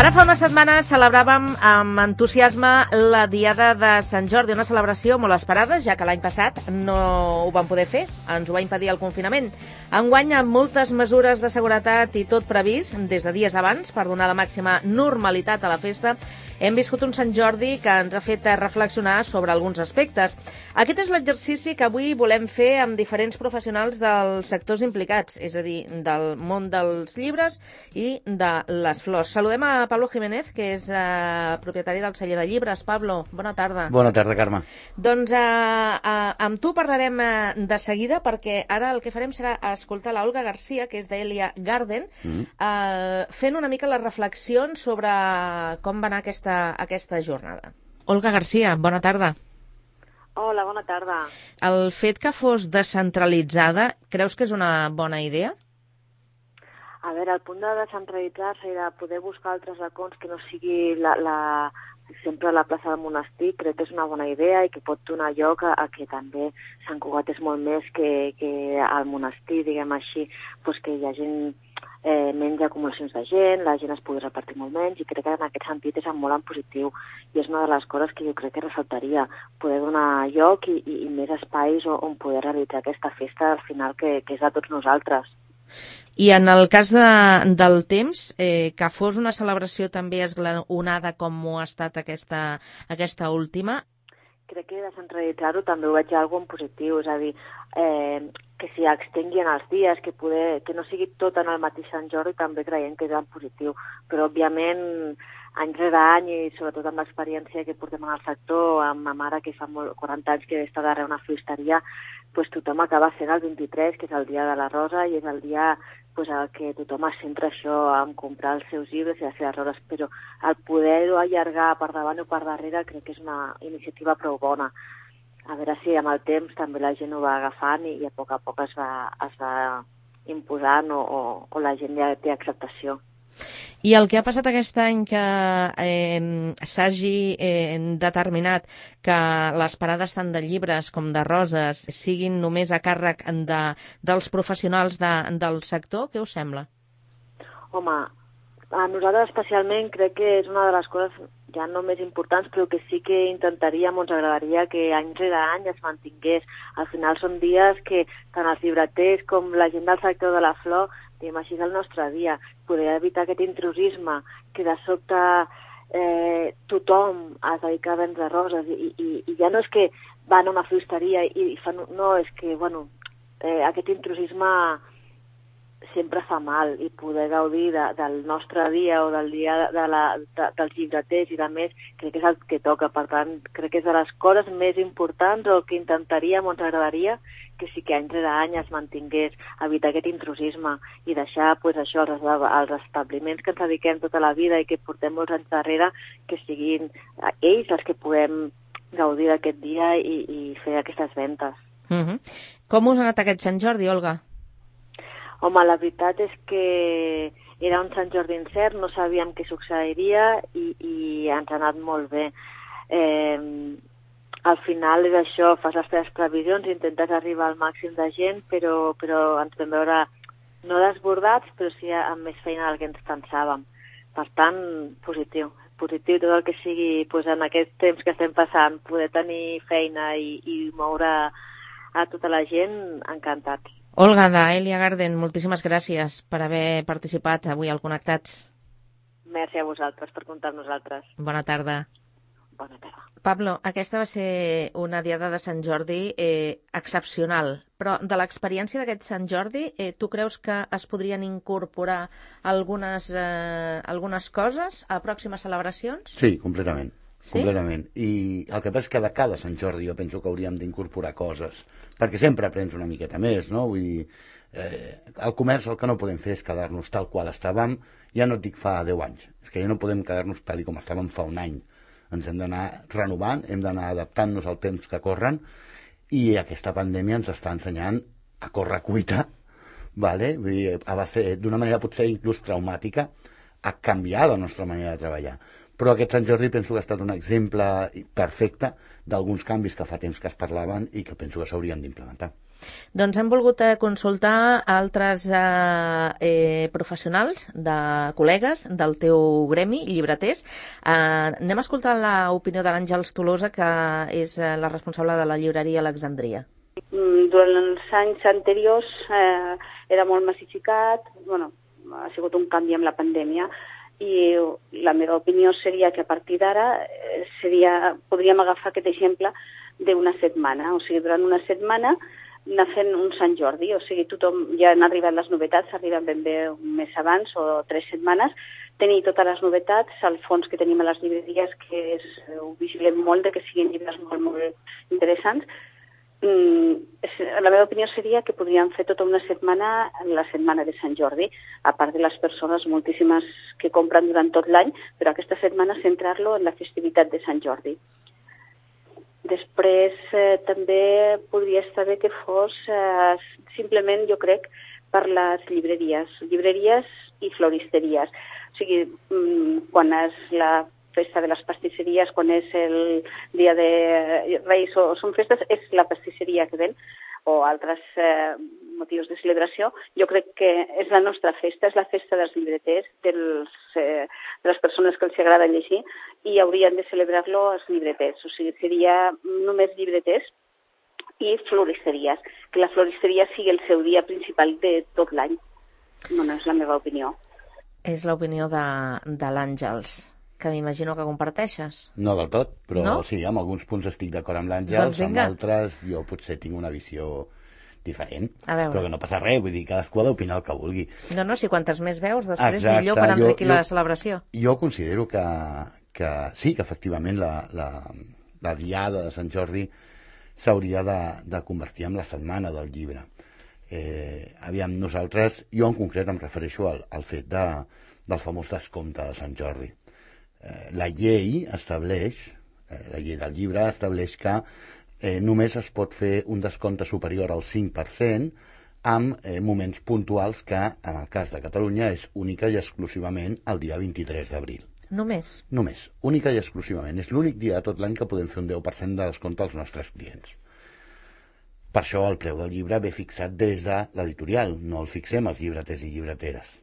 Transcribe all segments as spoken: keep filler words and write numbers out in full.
Ara fa una setmana celebràvem amb entusiasme la Diada de Sant Jordi, una celebració molt esperada, ja que l'any passat no ho vam poder fer, ens ho va impedir el confinament. Enguany, amb moltes mesures de seguretat i tot previst, des de dies abans, per donar la màxima normalitat a la festa, hem viscut un Sant Jordi que ens ha fet reflexionar sobre alguns aspectes. Aquest és l'exercici que avui volem fer amb diferents professionals dels sectors implicats, és a dir, del món dels llibres i de les flors. Saludem a Pablo Jiménez, que és eh, propietari del celler de llibres. Pablo, bona tarda. Bona tarda, Carme. Doncs eh, eh, amb tu parlarem eh, de seguida, perquè ara el que farem serà escoltar l'Olga Garcia, que és d'Elia Garden, mm. eh, fent una mica les reflexions sobre com va anar aquesta, aquesta jornada. Olga Garcia, bona tarda. Hola, bona tarda. El fet que fos descentralitzada, creus que és una bona idea? A veure, el punt de descentralitzar-se i de poder buscar altres racons que no sigui la, la, sempre la plaça del monestir, crec que és una bona idea i que pot donar lloc a, a que també Sant Cugat és molt més que, que al monestir, diguem així, doncs que hi ha gent, eh, menys acumulacions de gent, la gent es pugui repartir molt menys, i crec que en aquest sentit és molt en positiu, i és una de les coses que jo crec que ressaltaria, poder donar lloc i, i, i més espais on poder realitzar aquesta festa al final que, que és de tots nosaltres. I en el cas de, del temps, eh, que fos una celebració també esglaonada com ho ha estat aquesta, aquesta última? Crec que descentralitzar-ho també ho veig algo en positiu, és a dir, eh, que s'hi extenguin els dies, que, poder, que no sigui tot en el mateix Sant Jordi, també creiem que és en positiu, però òbviament any rere any i sobretot amb l'experiència que portem en el sector, amb ma mare que fa molt, quaranta anys que està darrere una floristeria, pues tothom acaba sent el vint-i-tres, que és el dia de la rosa, i és el dia pues, el que tothom es centra això en comprar els seus llibres i les seves roses, però el poder-ho allargar per davant o per darrere crec que és una iniciativa prou bona. A veure si amb el temps també la gent ho va agafant i a poc a poc es va, es va imposant o, o, o la gent ja té acceptació. I el que ha passat aquest any que eh, s'hagi eh, determinat que les parades tant de llibres com de roses siguin només a càrrec de, dels professionals de, del sector, què us sembla? Home, a nosaltres especialment crec que és una de les coses ja no més importants, però que sí que intentaríem o ens agradaria que any rere any es mantingués. Al final són dies que tant els llibreters com la gent del sector de la flor, diguem així, és el nostre dia, poder evitar aquest intrusisme, que de sobte eh, tothom es dedica a vendre roses i, i, i ja no és que van a una floristeria i, i fan... No, és que, bueno, eh, aquest intrusisme sempre fa mal i poder gaudir de, del nostre dia o del dia de la, de, dels llibreters i de més, crec que és el que toca. Per tant, crec que és de les coses més importants o que intentaríem o ens agradaria que sí que any rere any es mantingués, evitar aquest intrusisme i deixar pues, això, els, els establiments que ens dediquem tota la vida i que portem molts anys darrere, que siguin ells els que puguem gaudir d'aquest dia i, i fer aquestes ventes. Mm-hmm. Com us ha anat aquest Sant Jordi, Olga? Home, la veritat és que era un Sant Jordi incert, no sabíem què succeiria i, i ens ha anat molt bé. Eh, al final és això, fas les teves previsions, intentes arribar al màxim de gent, però, però ens vam veure no desbordats, però sí amb més feina del que ens pensàvem. Per tant, positiu. Positiu tot el que sigui pues, en aquest temps que estem passant, poder tenir feina i, i moure a tota la gent, encantats. Olga, d'Elia Garden, moltíssimes gràcies per haver participat avui al Connectats. Merci a vosaltres per comptar amb nosaltres. Bona tarda. Bona tarda. Pablo, aquesta va ser una diada de Sant Jordi eh, excepcional, però de l'experiència d'aquest Sant Jordi, eh, tu creus que es podrien incorporar algunes, eh, algunes coses a pròximes celebracions? Sí, completament. Sí? Completament. I el que passa és que de cada Sant Jordi jo penso que hauríem d'incorporar coses, perquè sempre aprens una miqueta més, no? Vull dir, eh, el comerç el que no podem fer és quedar-nos tal qual estàvem, ja no et dic fa deu anys, és que ja no podem quedar-nos tal com estàvem fa un any. Ens hem d'anar renovant, hem d'anar adaptant-nos al temps que corren, i aquesta pandèmia ens està ensenyant a córrer cuita, vale? Vull dir, a base, d'una manera potser inclús traumàtica, a canviar la nostra manera de treballar. Però aquest Sant Jordi penso que ha estat un exemple perfecte d'alguns canvis que fa temps que es parlaven i que penso que s'haurien d'implementar. Doncs hem volgut eh, consultar altres eh, eh, professionals, de col·legues del teu gremi, llibreters. Eh, anem a escoltar l'opinió de l'Àngels Tolosa, que és eh, la responsable de la llibreria Alexandria. Durant els anys anteriors eh, era molt massificat, bueno, ha sigut un canvi amb la pandèmia, i la meva opinió seria que a partir d'ara seria, podríem agafar aquest exemple d'una setmana, o sigui, durant una setmana anar fent un Sant Jordi, o sigui, tothom, ja han arribat les novetats, arriben ben bé un mes abans o tres setmanes, tenir totes les novetats, el fons que tenim a les llibreries, que és, ho vigilem molt de que siguin llibres molt, molt interessants. Mm, la meva opinió seria que podríem fer tota una setmana, la setmana de Sant Jordi, a part de les persones moltíssimes que compren durant tot l'any, però aquesta setmana centrar-lo en la festivitat de Sant Jordi. Després eh, també podria estar bé que fos eh, simplement, jo crec, per les llibreries, llibreries i floristeries. O sigui, mm, quan és la festa de les pastisseries, quan és el dia de Reis o són festes, és la pastisseria que ven, o altres eh, motius de celebració. Jo crec que és la nostra festa, és la festa dels llibreters, dels, eh, de les persones que els agrada llegir, i haurien de celebrar-lo els llibreters. O sigui, seria només llibreters i floristeries, que la floristeria sigui el seu dia principal de tot l'any. Bueno, és la meva opinió. És l'opinió de, de l'Àngels, que m'imagino que comparteixes. No del tot, però no? Sí, amb alguns punts estic d'acord amb l'Àngels, doncs amb altres jo potser tinc una visió diferent, però que no passa res, vull dir, cadascú ha d'opinar el que vulgui. No, no, si quantes més veus, després Exacte, millor per enriquir jo, la celebració. Jo considero que, que sí, que efectivament la, la, la diada de Sant Jordi s'hauria de, de convertir en la setmana del llibre. Eh, aviam, nosaltres, jo en concret em refereixo al, al fet de, del famós descompte de Sant Jordi. La llei estableix, la llei del llibre estableix que eh, només es pot fer un descompte superior al cinc per cent amb eh, moments puntuals que, en el cas de Catalunya, és única i exclusivament el dia vint-i-tres d'abril. Només? Només, única i exclusivament. És l'únic dia de tot l'any que podem fer un deu per cent de descompte als nostres clients. Per això el preu del llibre ve fixat des de l'editorial, no el fixem els llibreters i llibreteres.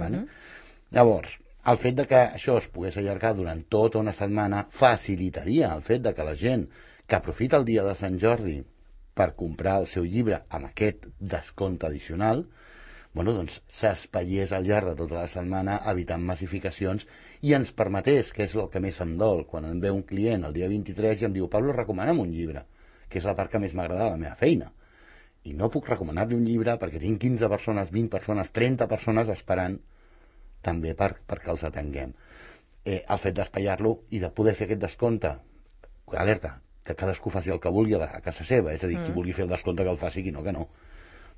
Vale? Uh-huh. Llavors, el fet de que això es pogués allargar durant tota una setmana facilitaria el fet de que la gent que aprofita el dia de Sant Jordi per comprar el seu llibre amb aquest descompte addicional, bueno, doncs s'espaiés al llarg de tota la setmana evitant massificacions i ens permetés, que és el que més em dol, quan em ve un client el dia vint-i-tres i em diu Pablo, recomana'm un llibre, que és la part que més m'agrada de la meva feina. I no puc recomanar-li un llibre perquè tinc quinze persones, vint persones, trenta persones esperant també per, perquè els atenguem. Eh, el fet d'espaiar-lo i de poder fer aquest descompte, alerta, que cadascú faci el que vulgui a, la, a casa seva, és a dir, mm. qui vulgui fer el descompte que el faci, qui no, que no.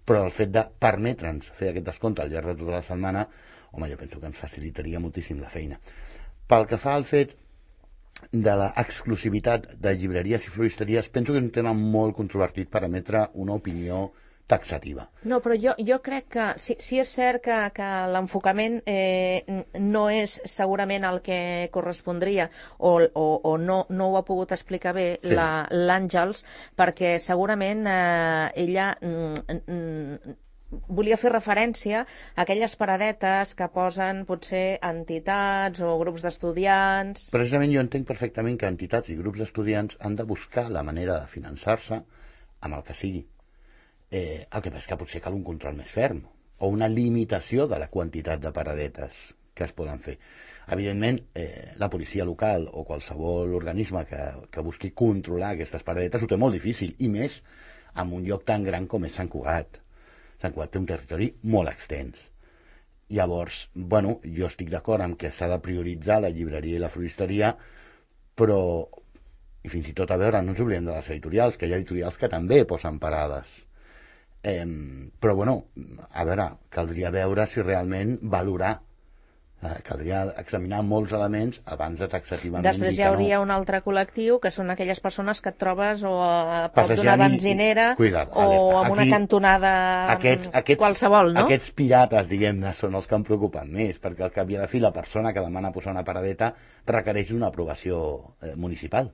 Però el fet de permetre'ns fer aquest descompte al llarg de tota la setmana, home, jo penso que ens facilitaria moltíssim la feina. Pel que fa al fet de l'exclusivitat de llibreries i floristeries, penso que és un tema molt controvertit per emetre una opinió taxativa. No, però jo, jo crec que sí, sí és cert que, que l'enfocament eh, no és segurament el que correspondria o, o, o no, no ho ha pogut explicar bé sí. l'Àngels, perquè segurament eh, ella mm, mm, volia fer referència a aquelles paradetes que posen potser entitats o grups d'estudiants. Precisament jo entenc perfectament que entitats i grups d'estudiants han de buscar la manera de finançar-se amb el que sigui. Eh, el que passa és que potser cal un control més ferm o una limitació de la quantitat de paradetes que es poden fer. Evidentment, eh, la policia local o qualsevol organisme que, que busqui controlar aquestes paradetes ho té molt difícil, i més en un lloc tan gran com és Sant Cugat. Sant Cugat té un territori molt extens. Llavors, bueno, jo estic d'acord amb que s'ha de prioritzar la llibreria i la floristeria, però, i fins i tot a veure, no ens oblidem de les editorials, que hi ha editorials que també posen parades. Eh, però bueno, a veure, caldria veure si realment valorar, eh, caldria examinar molts elements abans de taxativament dir que no. Després hi hauria no. un altre col·lectiu, que són aquelles persones que et trobes o a prop d'una benzinera i, cuida't, o alerta. En una Aquí, cantonada aquests, aquests, qualsevol, no? Aquests pirates, diguem-ne, són els que em preocupen més, perquè al cap i a la fi la persona que demana posar una paradeta requereix una aprovació eh, municipal.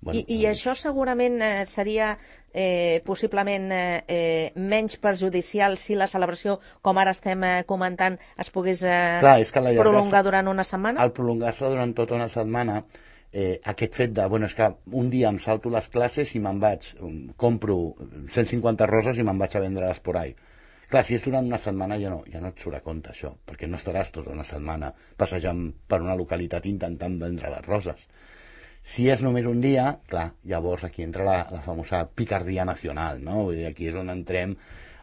Bueno, I, I això segurament eh, seria eh, possiblement eh, menys perjudicial si la celebració, com ara estem eh, comentant, es pogués eh, Clar, és que prolongar durant una setmana? Al prolongar-se durant tota una setmana, eh, aquest fet de, bueno, és que un dia em salto les classes i me'n vaig, compro cent cinquanta roses i me'n vaig a vendre-les por ahí. Clar, si és durant una setmana ja no, ja no et surt a compte això, perquè no estaràs tota una setmana passejant per una localitat intentant vendre les roses. Si és només un dia, clar, llavors aquí entra la, la famosa picardia nacional, no? Vull dir, aquí és on entrem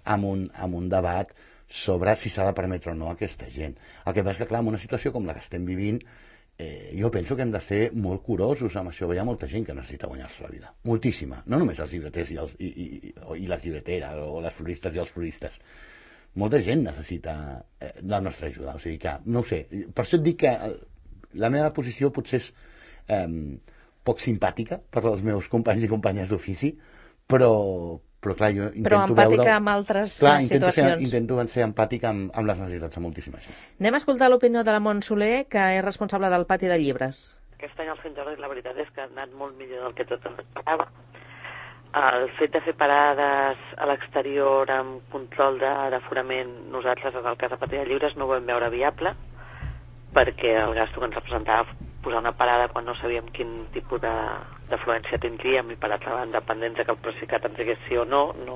amb un, amb un debat sobre si s'ha de permetre o no a aquesta gent. El que passa és que, clar, en una situació com la que estem vivint, eh, jo penso que hem de ser molt curosos amb això. Hi ha molta gent que necessita guanyar-se la vida. Moltíssima. No només els llibreters i, els, i, i, i les llibreteres, o les floristes i els floristes. Molta gent necessita eh, la nostra ajuda. O sigui que, no ho sé, per això et dic que la meva posició potser és Eh, poc simpàtica per als meus companys i companyes d'ofici, però, però clar, jo intento però empàtica veure... amb altres clar, situacions. Ser, intento ser empàtic amb, amb les necessitats de moltíssima gent. Anem a escoltar l'opinió de la Mont Soler, que és responsable del pati de llibres. Aquest any al Sant Jordi la veritat és que ha anat molt millor del que tot esperava. El fet de fer parades a l'exterior amb control d'aforament, nosaltres en el cas de pati de llibres no ho vam veure viable, perquè el gasto que ens representava posar una parada quan no sabíem quin tipus d'afluència tindríem i per altra banda, dependents de que el Procicat ens digués sí o no, no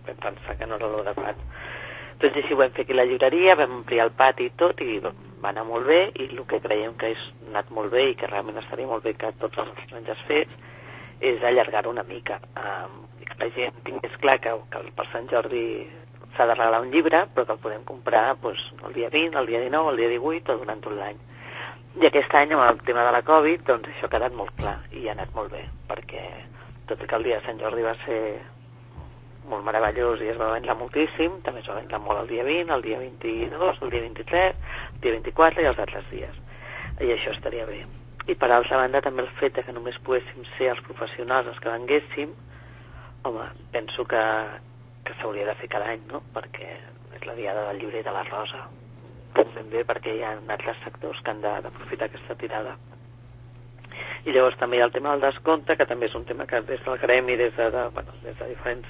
vam pensar que no era l'adequat. Doncs així ho vam fer aquí a la llibreria, vam ampliar el pati i tot, i va anar molt bé, i el que creiem que ha anat molt bé i que realment estaria molt bé que tots els estrangers fets és allargar-ho una mica, um, i que la gent tingués clar que, que per Sant Jordi s'ha de regalar un llibre, però que el podem comprar doncs, el dia vint, el dia dinou, el dia divuit o durant tot l'any. I aquest any, amb el tema de la Covid, doncs això ha quedat molt clar i ha anat molt bé, perquè tot i que el dia de Sant Jordi va ser molt meravellós i es va vendre moltíssim, també es va vendre molt el dia vint, el dia vint-i-dos, el dia vint-i-tres, el dia vint-i-quatre i els altres dies. I això estaria bé. I per altra banda també el fet que només poguéssim ser els professionals els que venguéssim, home, penso que, que s'hauria de fer cada any, no? Perquè és la diada del llibre i de la rosa. Ben bé, perquè hi ha altres sectors que han d'aprofitar aquesta tirada. I llavors també hi ha el tema del descompte, que també és un tema que des del gremi, des de, de, bueno, des de diferents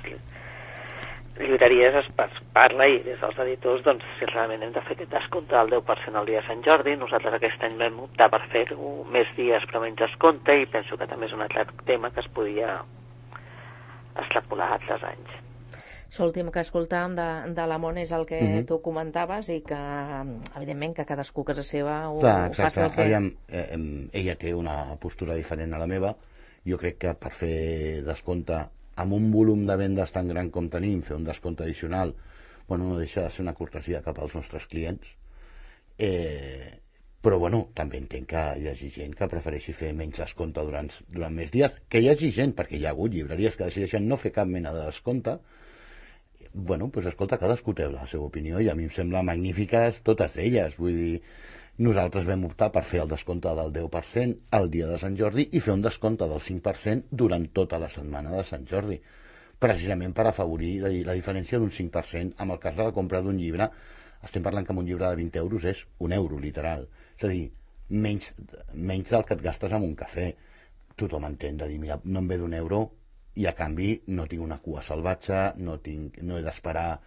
llibreries es parla, i des dels editors, doncs, si realment hem de fer aquest descompte del deu per cent al dia de Sant Jordi. Nosaltres aquest any vam optar per fer-ho més dies però menys descompte, i penso que també és un altre tema que es podia extrapolar a altres anys. L'últim que escoltàvem de, de la Mont és el que mm-hmm. tu comentaves, i que, evidentment, que cadascú a casa seva ho, Clar, ho faci el que... Aviam, eh, eh, ella té una postura diferent a la meva. Jo crec que per fer descompte amb un volum de vendes tan gran com tenim, fer un descompte addicional, bueno, no deixa de ser una cortesia cap als nostres clients. Eh, però, bueno, també entenc que hi hagi gent que prefereixi fer menys descompte durant, durant més dies, que hi hagi gent, perquè hi ha hagut llibreries que decideixen no fer cap mena de descompte. Bueno, doncs escolta, cadascú té la seva opinió i a mi em sembla magnífiques totes elles. Vull dir, nosaltres vam optar per fer el descompte del deu per cent el dia de Sant Jordi i fer un descompte del cinc per cent durant tota la setmana de Sant Jordi, precisament per afavorir la, la diferència d'un cinc per cent. En el cas de la compra d'un llibre, estem parlant que un llibre de vint euros és un euro, literal. És a dir, menys, menys del que et gastes amb un cafè. Tothom entén de dir, mira, no em ve d'un euro, i a canvi no tinc una cua salvatge, no, tinc, no he d'esperar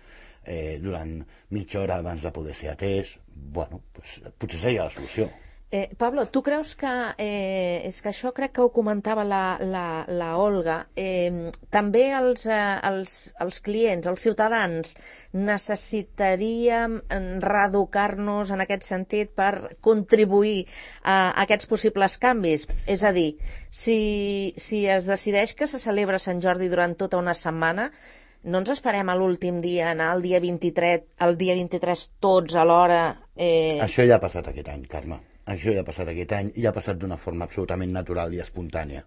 eh, durant mitja hora abans de poder ser atès. Bueno, pues, potser seria la solució. Eh, Pablo, tu creus que, eh, és que això crec que ho comentava la, la, la Olga, eh, també els, eh, els, els clients, els ciutadans, necessitaríem reeducar-nos en aquest sentit per contribuir a, a aquests possibles canvis? És a dir, si, si es decideix que se celebra Sant Jordi durant tota una setmana, no ens esperem a l'últim dia, anar el dia vint-i-tres, el dia vint-i-tres tots a l'hora... Eh... Això ja ha passat aquest any, Carme. Això ja ha passat aquest any i ha passat d'una forma absolutament natural i espontània.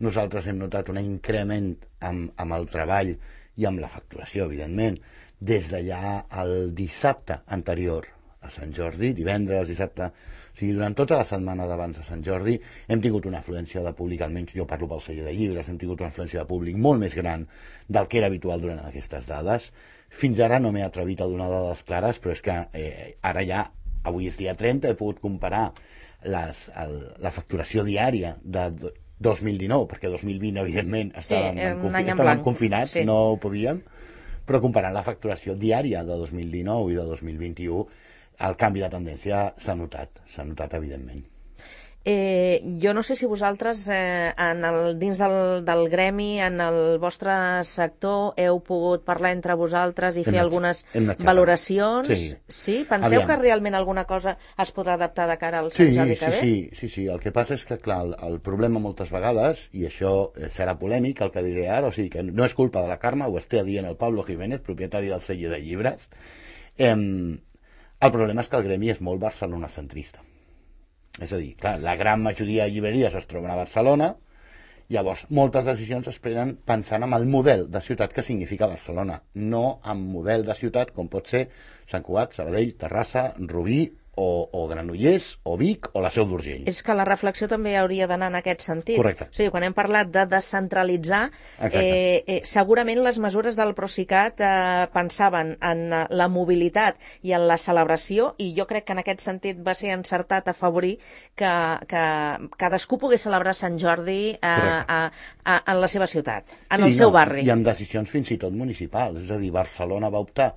Nosaltres hem notat un increment amb, amb el treball i amb la facturació, evidentment, des d'allà el dissabte anterior a Sant Jordi, divendres, dissabte, o sigui, durant tota la setmana d'abans de Sant Jordi hem tingut una afluència de públic, almenys jo parlo pel celler de llibres, hem tingut una afluència de públic molt més gran del que era habitual durant aquestes dades. Fins ara no m'he atrevit a donar dades clares, però és que eh, ara ja, avui és dia trenta, he pogut comparar les, el, la facturació diària de dos mil dinou, perquè dos mil vint, evidentment, estàvem, sí, en confi en estàvem confinats, sí. no ho podíem, però comparant la facturació diària de dos mil dinou i de dos mil vint-i-u, el canvi de tendència s'ha notat, s'ha notat, evidentment. Eh, jo no sé si vosaltres eh, en el, dins del, del gremi, en el vostre sector, heu pogut parlar entre vosaltres i hem fer anat, algunes anat valoracions. Sí. Sí? Penseu Aviam. que realment alguna cosa es podrà adaptar de cara al sí, Sant Jordi que sí, ve? Sí, sí, sí. El que passa és que, clar, el, el problema moltes vegades, i això serà polèmic, el que diré ara, o sigui que no és culpa de la Carme, ho està dient el Pablo Jiménez, propietari del celler de llibres, eh, el problema és que el gremi és molt barcelonacentrista. És a dir, clar, la gran majoria de llibreries es troben a Barcelona, llavors moltes decisions es prenen pensant en el model de ciutat que significa Barcelona, no en model de ciutat com pot ser Sant Cugat, Sabadell, Terrassa, Rubí o, o Granollers, o Vic, o la Seu d'Urgell. És que la reflexió també hauria d'anar en aquest sentit. Correcte. O sigui, quan hem parlat de descentralitzar, eh, eh, segurament les mesures del Procicat eh, pensaven en eh, la mobilitat i en la celebració, i jo crec que en aquest sentit va ser encertat afavorir que, que cadascú pogués celebrar Sant Jordi eh, a, a, en la seva ciutat, en sí, el seu no, barri. I amb decisions fins i tot municipals. És a dir, Barcelona va optar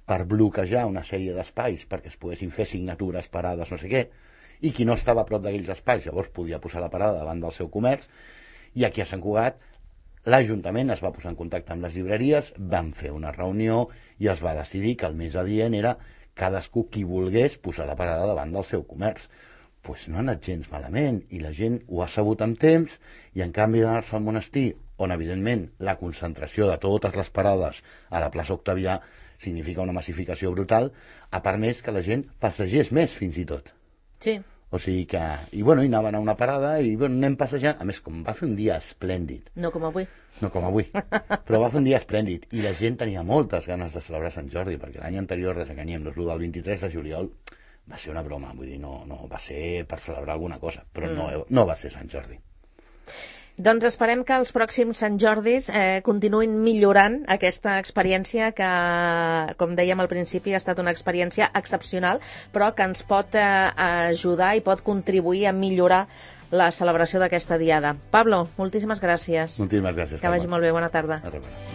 per bloquejar una sèrie d'espais perquè es poguessin fer signatures, parades, no sé què, i qui no estava a prop d'aquells espais llavors podia posar la parada davant del seu comerç, i aquí a Sant Cugat l'Ajuntament es va posar en contacte amb les llibreries, van fer una reunió i es va decidir que el més adient era cadascú qui volgués posar la parada davant del seu comerç. Pues no ha anat gens malament, i la gent ho ha sabut amb temps, i en canvi d'anar-se al monestir, on evidentment la concentració de totes les parades a la plaça Octavià significa una massificació brutal, a part més que la gent passegés més fins i tot. Sí. O sigui que... I bueno, i anaven a una parada i bueno, anem passejant. A més, com va fer un dia esplèndid. No com avui. No com avui. Però va fer un dia esplèndid. I la gent tenia moltes ganes de celebrar Sant Jordi, perquè l'any anterior, desenganyem-nos, el del vint-i-tres de juliol va ser una broma. Vull dir, no, no va ser per celebrar alguna cosa, però mm. no, no va ser Sant Jordi. Doncs esperem que els pròxims Sant Jordis eh, continuïn millorant aquesta experiència que, com dèiem al principi, ha estat una experiència excepcional, però que ens pot eh, ajudar i pot contribuir a millorar la celebració d'aquesta diada. Pablo, moltíssimes gràcies. Moltíssimes gràcies. Que vagi molt bé, bona tarda. A rebre.